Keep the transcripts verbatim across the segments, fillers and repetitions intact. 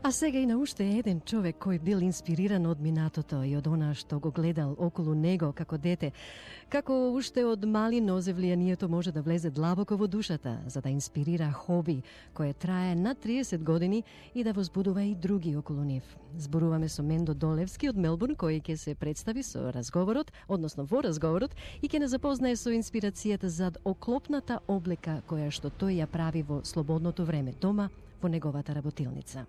А сега и на уште еден човек кој бил инспириран од минатото и од она што го гледал околу него како дете, како уште од мали нозев влијанието може да влезе длабоко во душата, за да инспирира хоби кое трае над триесет години и да возбудува и други околу нив. Зборуваме со Мендо Долевски од Мелбурн, кој ќе се представи со разговорот, односно во разговорот, и ќе не запознае со инспирацијата зад оклопната облека која што тој ја прави во слободното време дома во неговата работилница.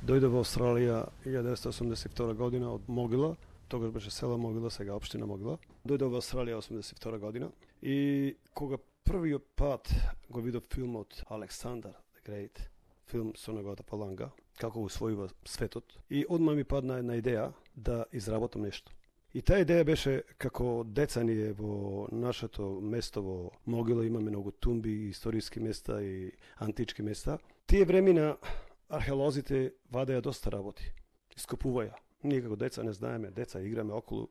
Дојде во Австралија илјадесетстотини деветдесет и осумдесет и втора година од Могила, тогаш беше села Могила, сега општина Могила. Дојде во Австралија осумдесет и втора година и кога првиот пат го видов филмот Александар the Great, филм со неговата паланга, како го усвојува светот, и одма ми падна една идеја да изработам нешто. И таа идеја беше како деца ние во нашето место во Могила имаме многу тумби, историски места и антички места. Тие времена археолозите вадеа доста работи, ископуваја. Ние како деца не знаеме, деца играме околу.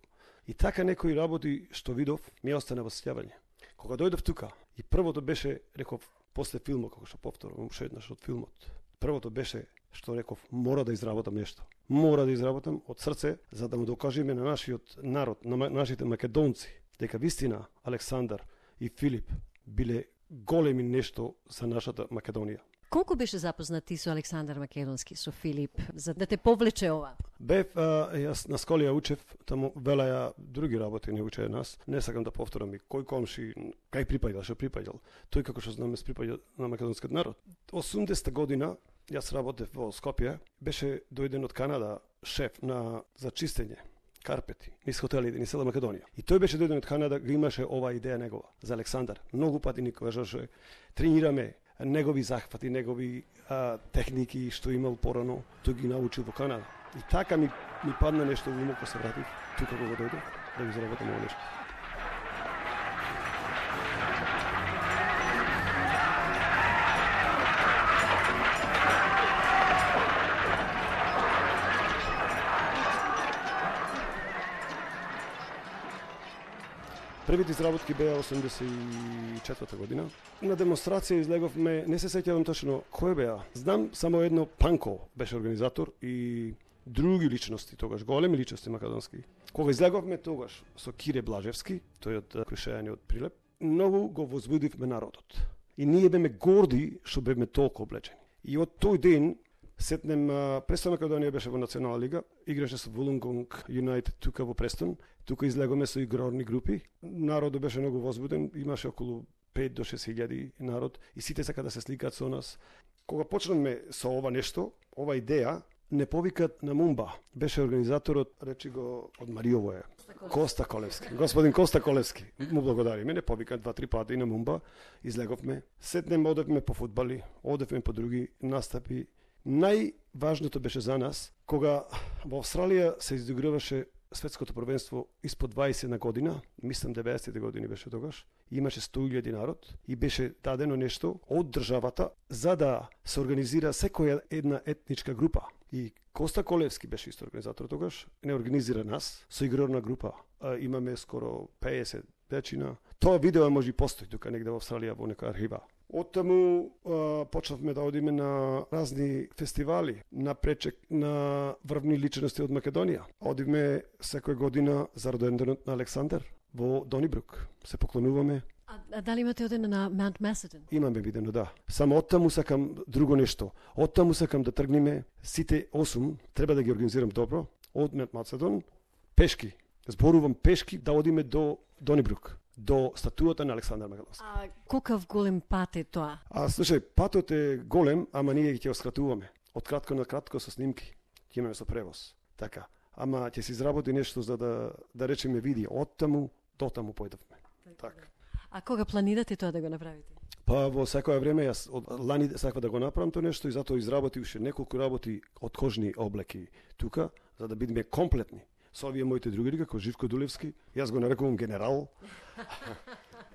И така некои работи што видов ми остана во сеќавање. Кога дојдов тука и првото беше, реков, после филмот, како што повторувам уште еднаш од филмот, првото беше што реков, мора да изработам нешто. Мора да изработам од срце, за да му докажеме на нашиот народ, на нашите македонци, дека вистина Александар и Филип биле големи нешто за нашата Македонија. Колку беше запознат ти со Александар Македонски, со Филип, за да те повлече ова? Бев, а, јас на школија учев, таму велеа други работи не учеа нас. Не сакам да повторам и кој комши, кај припаѓал, што припаѓал. Тој како што знаме припаѓа на македонскиот народ. осумдесета година јас работев во Скопје, беше дојден од Канада шеф на за чистење карпети, низ хотелите, низ цела Македонија. И тој беше дојден од Канада, го имаше ова идеја негова за Александар. Многу пати ни кажеше, тренираме негови захвати, негови а, техники што имал порано, тој ги научил во Канада. И така ми, ми падна нешто во умот кога се вратив, тука кога дојдов, да ги заработам ово нешто. Првите изработки беа осумдесет и четврта година. На демонстрација излеговме, не се сеќавам точно кој беа. Знам само едно, Панко беше организатор и други личности тогаш, големи личности македонски. Кога излеговме тогаш со Кире Блажевски, тој од Крушејани од Прилеп, многу го возбудивме народот. И ние беме горди што беме толку облечени. И од тој ден сетнем, Престон Македонија беше во Национална лига, играше со Вулунгонг Юнайтед тука во Престон, тука излегоме со игрорни групи. Народот беше многу возбуден, имаше околу пет до шест илјади народ и сите сака да се сликаат со нас. Кога почнавме со ова нешто, ова идеја, не повикат на Мумба. Беше организаторот, речи го од Мариово е, Коста Колевски. Господин Коста Колевски, му благодариме, не повикат два-три пати на Мумба, излеговме. Сетнем, одевме по фудбали, одевме по други настапи. Најважното беше за нас, кога во Австралија се изиграваше светското првенство испод дваесет на година, мислам деветдесетте години беше тогаш, имаше сто илјади народ и беше дадено нешто од државата за да се организира секоја една етничка група. И Коста Колевски беше исто организатор тогаш, не организира нас со игрорна група. А, имаме скоро пеесет дечина. Тоа видео може и постои тука негде во Австралија во нека архива. Оттаму почнавме да одиме на разни фестивали, на пречек на врвни личности од Македонија. Одиме секоја година за роденденот на Александар во Донибрук. Се поклонуваме. А, а дали имате оден на Маунт Маседон? Имаме видено, да. Само оттаму сакам друго нешто. Оттаму сакам да тргнеме сите осум, треба да ги организирам добро, од Маунт Маседон, пешки. Зборувам пешки да одиме до Донибрук, до статуата на Александар Македонски. А колкав голем пат е тоа? А слушај, патот е голем, ама ние ќе го скратуваме. Од кратко на кратко со снимки. Ќе имаме со превоз. Така. Ама ќе се изработи нешто за да да речеме види од таму до таму појдовме. Така. А кога планирате тоа да го направите? Па во секое време јас од лани сакав да го направам тоа нешто и затоа изработив уште неколку работи од кожни облеки тука за да бидеме комплетни. Со овие моите другари, како Живко Дулевски, јас го нарекувам генерал.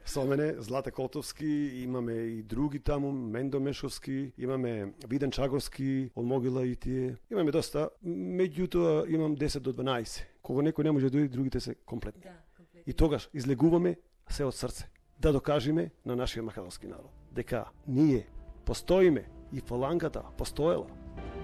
Со мене Злате Котовски, имаме и други таму, Мендо Мешовски, имаме Виден Чагорски, од Могила и тие. Имаме доста, меѓутоа имам десет до дванаесет. Кога некој не може да дојде, другите се комплетни. Да, комплетни. И тогаш излегуваме се од срце, да докажеме на нашиот македонски народ дека ние постоиме и фалангата постоела.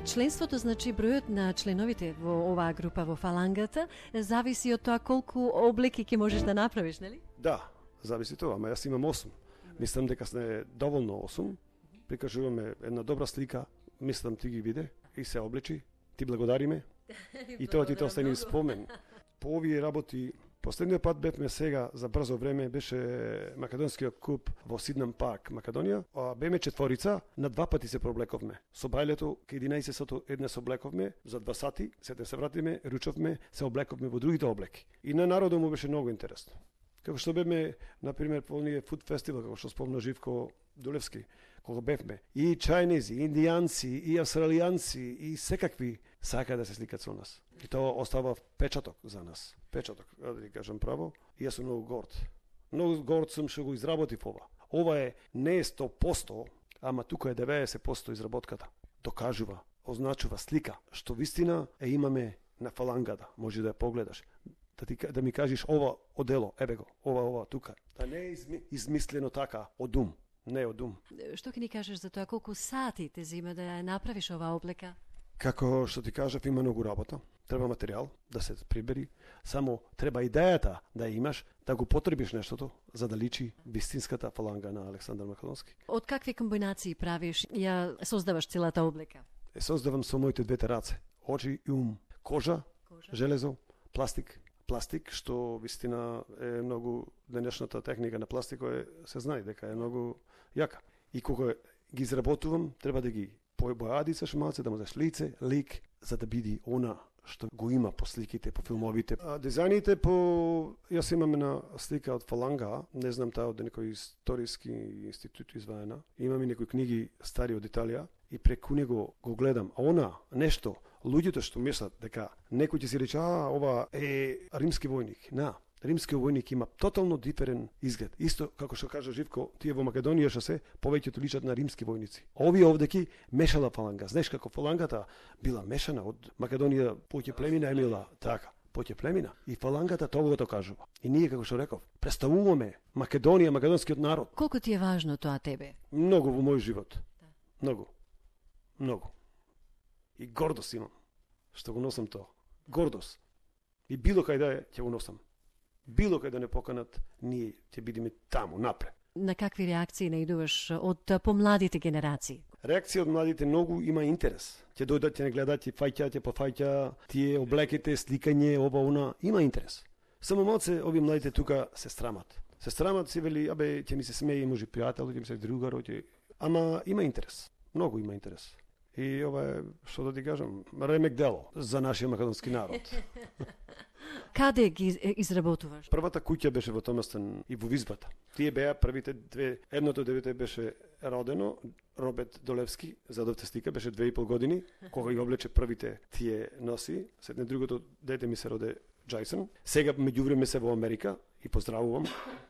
Членството, значи бројот на членовите во оваа група во фалангата зависи од тоа колку облеки ќе можеш да направиш, нели? Да, зависи тоа, ама јас имам осум. Мислам дека сме доволно осум. Прикажуваме една добра слика, мислам ти ги виде и се облечи. Ти благодариме. И тоа ти тоа остане спомен. По овие работи, последниот пат бевме сега за брзо време беше македонскиот куп во Сиднам Парк, Македонија. А беме четворица, на два пати се проблековме. Со бајлето ке единаесет сато едне се облековме, за два сати, сете се вратиме, ручовме, се облековме во другите облеки. И на народот му беше многу интересно. Како што бевме, например, по оние фуд фестивал, како што спомна Живко Дулевски, кога бевме, и чајнези, и индијанци, и австралијанци, и секакви сака да се сликат со нас. И тоа остава печаток за нас. Печаток, да ви кажам право. И јас сум многу горд. Многу горд сум што го изработив ова. Ова е не е сто посто, ама тука е деветдесет посто изработката. Докажува, означува слика, што вистина е имаме на фалангата. Може да ја погледаш. Да, ти, да ми кажеш ова одело, ебе го, ова, ова, тука. Да не е изми, измислено така, од ум. Не од ум. Што ќе ни кажеш за тоа, колку сати те зима да ја направиш оваа облека? Како што ти кажав, има многу работа. Треба материјал да се прибери. Само треба идејата да имаш, да го потребиш нештото, за да личи вистинската фаланга на Александар Македонски. Од какви комбинации правиш, ја создаваш целата облека? Е, создавам со моите двете раце. Очи и ум. Кожа, Кожа. Железо, пластик. Пластик, што вистина е многу, денешната техника на пластико е, се знае дека е многу јака. И кога ги изработувам, треба да ги појадицаш малце, да му даш лице, лик, за да биде она што го има по сликите, по филмовите. А дизајните по... Јас имам една слика од фаланга, не знам таа од некој историски институт изваена. Имам и некои книги стари од Италија и преку него го гледам. А она, нешто, луѓето што мислат дека некој ќе си рече, а, ова е римски војник. На, римскиот војник има тотално диферен изглед. Исто како што кажа Живко, тие во Македонија што се повеќето личат на римски војници. Овие овдеки мешала фаланга. Знаеш како фалангата била мешана од Македонија, поќе племина емила така, поќе племина. И фалангата тоа го кажува. И ние како што реков, представуваме Македонија, македонскиот народ. Колку ти е важно тоа тебе? Многу во мој живот. Да. Многу. Многу. И гордост имам што го носам тоа. Гордост. И било кај да е, ќе го носам. Било кај да не поканат, ние ќе бидеме таму, напред. На какви реакции наидуваш од помладите генерации? Реакција од младите многу има интерес. Ќе дојдат, ќе не гледат, ќе фаќа, ќе пофаќа, тие облеките, сликање, ова, она, има интерес. Само малце овие младите тука се срамат. Се срамат, си вели, абе, ќе ми се смее, може пријател, ќе ми се другар, ќе... Ама има интерес. Многу има интерес. И ова е, што да ти кажам, ремек дело за нашиот македонски народ. Каде ги изработуваш? Првата куќа беше во Томастен и во Визбата. Тие беа првите две, едното дете беше родено, Роберт Долевски, задовте слика, беше две и пол години, кога ги облече првите тие носи, седне другото дете ми се роде Джайсон. Сега меѓувреме се во Америка и поздравувам.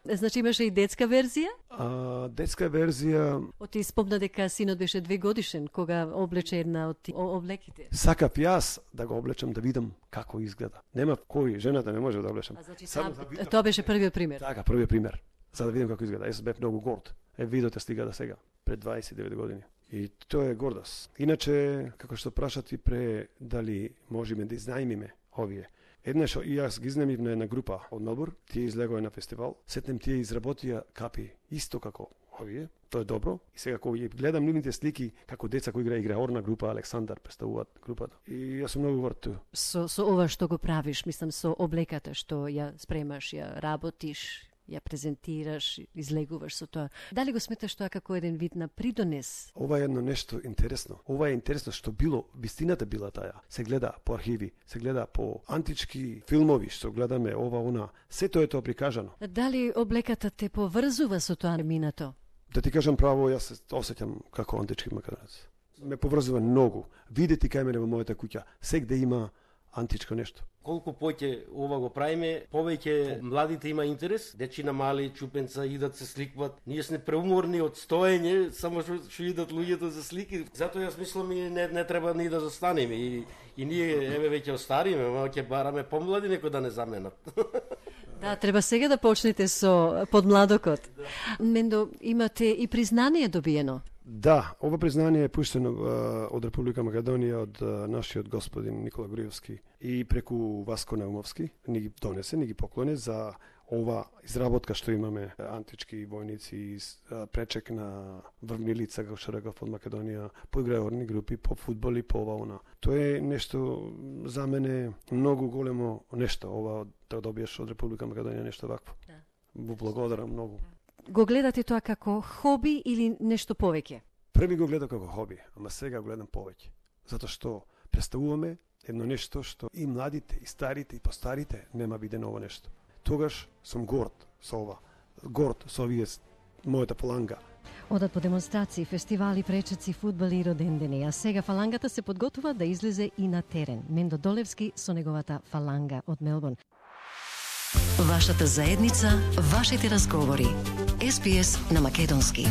Значи имаше и детска верзија? А, детска верзија... Оти спомна дека синот беше две годишен кога облече една од облеките. Сакав јас да го облечам да видам како изгледа. Нема кој, жената не може да облечам. А значи сам, да тоа беше првиот пример. Така, првиот пример. За да видам како изгледа. Јас бев многу горд. Е, видоте стига да сега, пред дваесет и девет години. И тоа е гордост. Иначе, како што прашат и пре, дали можеме да изнајмиме овие. Еднаш и јас ги изнемив на една група од Мелбурн, тие излегоа на фестивал, сетнем тие изработија капи исто како овие, тоа е добро. И сега кога ги гледам нивните слики како деца кои игра игра орна група, Александар представуваат групата. И јас сум многу горд тоа. Со со ова што го правиш, мислам со облеката што ја спремаш, ја работиш, ја презентираш, излегуваш со тоа. Дали го сметаш тоа како еден вид на придонес? Ова е едно нешто интересно. Ова е интересно што било, вистината била таа. Се гледа по архиви, се гледа по антички филмови што гледаме ова, она. Се тоа е тоа прикажано. Дали облеката те поврзува со тоа минато? Да ти кажам право, јас се осеќам како антички македонец. Ме поврзува многу. Видете кај мене во мојата куќа, сегде има античко нешто. Колку поќе ова го правиме, повеќе младите има интерес, дечина мали чупенца идат се сликват. Ние сме преуморни од стоење, само што што идат луѓето за слики. Затоа јас мислам и не не треба ни да застанеме и и ние еве веќе остариме, ама ќе бараме помлади некој да не заменат. Да, треба сега да почнете со подмладокот. Да. Мендо, имате и признание добиено. Да, ова признание е пуштено а, од Република Македонија од а, нашиот господин Никола Груевски и преку Васко Наумовски ни ги донесе, ни ги поклоне за ова изработка што имаме антички војници и пречек на врвни лица, како што реков, од Македонија, по играорни групи, по фудбал и по ова она. Тоа е нешто за мене многу големо нешто, ова да добиеш од Република Македонија нешто вакво. Да. Во благодарам многу. Го гледате тоа како хоби или нешто повеќе? Први го гледам како хоби, ама сега го гледам повеќе. Затоа што представуваме едно нешто што и младите, и старите, и постарите нема видено ово нешто. Тогаш сум горд со ова, горд со овие мојата фаланга. Одат по демонстрации, фестивали, пречеци, фудбали и родендени, а сега фалангата се подготува да излезе и на терен. Мендо Долевски со неговата фаланга од Мелбурн. Вашата заедница, вашите разговори. Ес Би Ес на македонски.